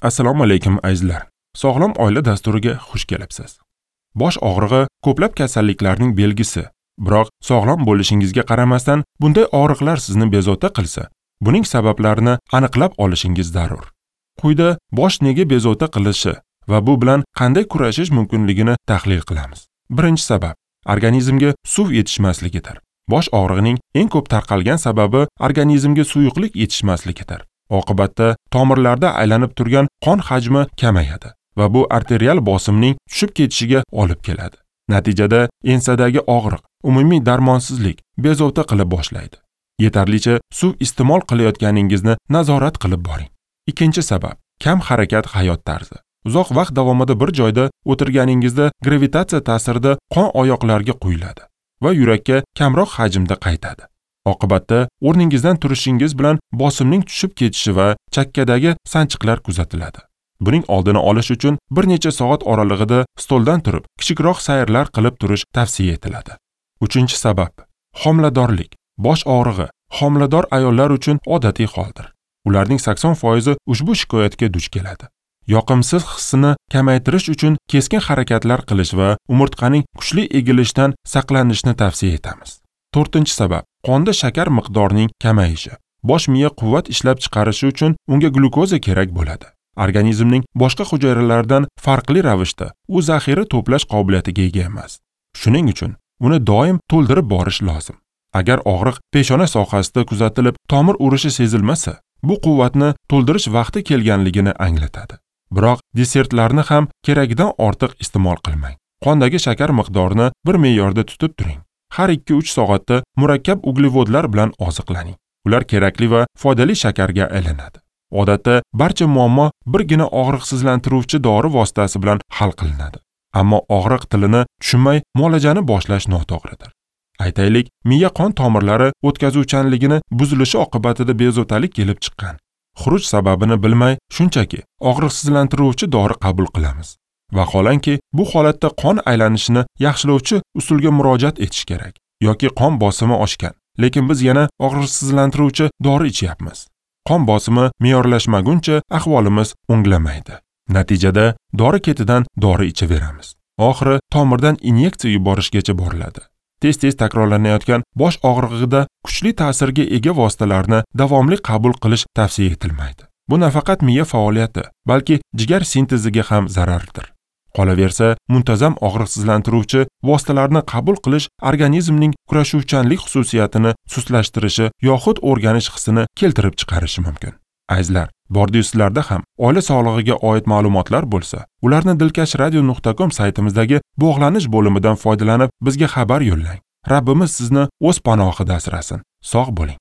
Assalomu alaykum azizlar. Sog'lom oila dasturiga xush kelibsiz. Bosh og'rig'i ko'plab kasalliklarning belgisi. Biroq sog'lom bo'lishingizga qaramasdan bunday og'riqlar sizni bezovta qilsa, buning sabablarini aniqlab olishingiz zarur. Quyida bosh nega bezovta qilishi va bu bilan qanday kurashish mumkinligini tahlil qilamiz. Birinchi sabab organizmga suv yetishmasligidir. Bosh og'rig'ining eng ko'p tarqalgan sababi organizmga suyuqlik yetishmasligidir. Oqibatda tomirlarda aylanib turgan qon hajmi kamayadi va bu arterial bosimning tushib ketishiga olib keladi. Natijada ensadagi og'riq, umumiy darmonsizlik bezovta qila boshlaydi. Yetarlicha suv iste'mol qilayotganingizni nazorat qilib boring. Ikkinchi sabab kam harakat hayot tarzi. Uzoq vaqt davomida bir joyda o'tirganingizda gravitatsiya ta'sirida qon oyoqlarga quyiladi va yurakka kamroq hajmda qaytadi. Oqibatda o'rningizdan turishingiz bilan bosimning tushib ketishi va chakkadagi sanchiqlar kuzatiladi. Buning oldini olish uchun bir necha soat oralig'ida stoldan turib, kichikroq sayrlar qilib turish tavsiya etiladi. Uchinchi sabab homiladorlik. Bosh og'rig'i homilador ayollar uchun odatiy holdir. Ularning 80% ushbu shikoyatga duch keladi. Yoqimsiz hissini kamaytirish uchun keskin harakatlar qilish va umurtqaning kuchli egilishidan saqlanishni tavsiya etamiz. To'rtinchi sabab qonda shakar miqdorining kamayishi. Bosh miya quvvat ishlab chiqarishi uchun unga glyukoza kerak bo'ladi. Organizmning boshqa hujayralaridan farqli ravishda u zaxira to'plash qobiliyatiga ega emas. Shuning uchun uni doim to'ldirib borish lozim. Agar og'riq peshona sohasida kuzatilib, tomir urishi sezilmasa, bu quvvatni to'ldirish vaqti kelganligini anglatadi. Biroq desertlarni ham keragidan ortiq iste'mol qilmang. Qondagi shakar miqdorini bir me'yorda tutib turing. Har 2-3 soatda murakkab uglevodlar bilan oziqlaning. Ular kerakli va foydali shakarga aylanadi. Odatda barcha muammo birgina og'riqsizlantiruvchi dori vositasi bilan hal qilinadi. Ammo og'riq tilini tushunmay muolajani boshlash noto'g'ridir. Aytaylik, miya qon tomirlari o'tkazuvchanligini buzilishi oqibatida bezovtalik kelib chiqqan. Xuruj sababini bilmay shunchaki og'riqsizlantiruvchi dori qabul qilamiz. Vaholanki, bu holatda qon aylanishini yaxshilovchi usulga murojaat etish kerak yoki qon bosimi oshgan, lekin biz yana og'riqsizlantiruvchi dori ichyapmiz. Qon bosimi me'yorlashmaguncha ahvolimiz o'nglamaydi. Natijada dori ketidan dori ichaveramiz. Oxiri tomirdan inyeksiya yuborishgacha boriladi. Tez-tez takrorlanayotgan bosh og'rig'ida kuchli ta'sirga ega vositalarni davomli qabul qilish tavsiya etilmaydi. Bu nafaqat miya faoliyati, balki jigar sinteziga ham zarardir. Qolaversa, muntazam og'riqsizlantiruvchi vositalarni qabul qilish organizmning kurashuvchanlik xususiyatini sustlashtirishi yoxud o'rganish hissini keltirib chiqarishi mumkin. Azizlar, bordiyu sizlarda ham oila sog'lig'iga oid ma'lumotlar bo'lsa, ularni dilkashradio.com saytimizdagi bog'lanish bo'limidan foydalanib bizga xabar yo'llang. Rabbimiz sizni o'z panohida asrasin. Sog' bo'ling.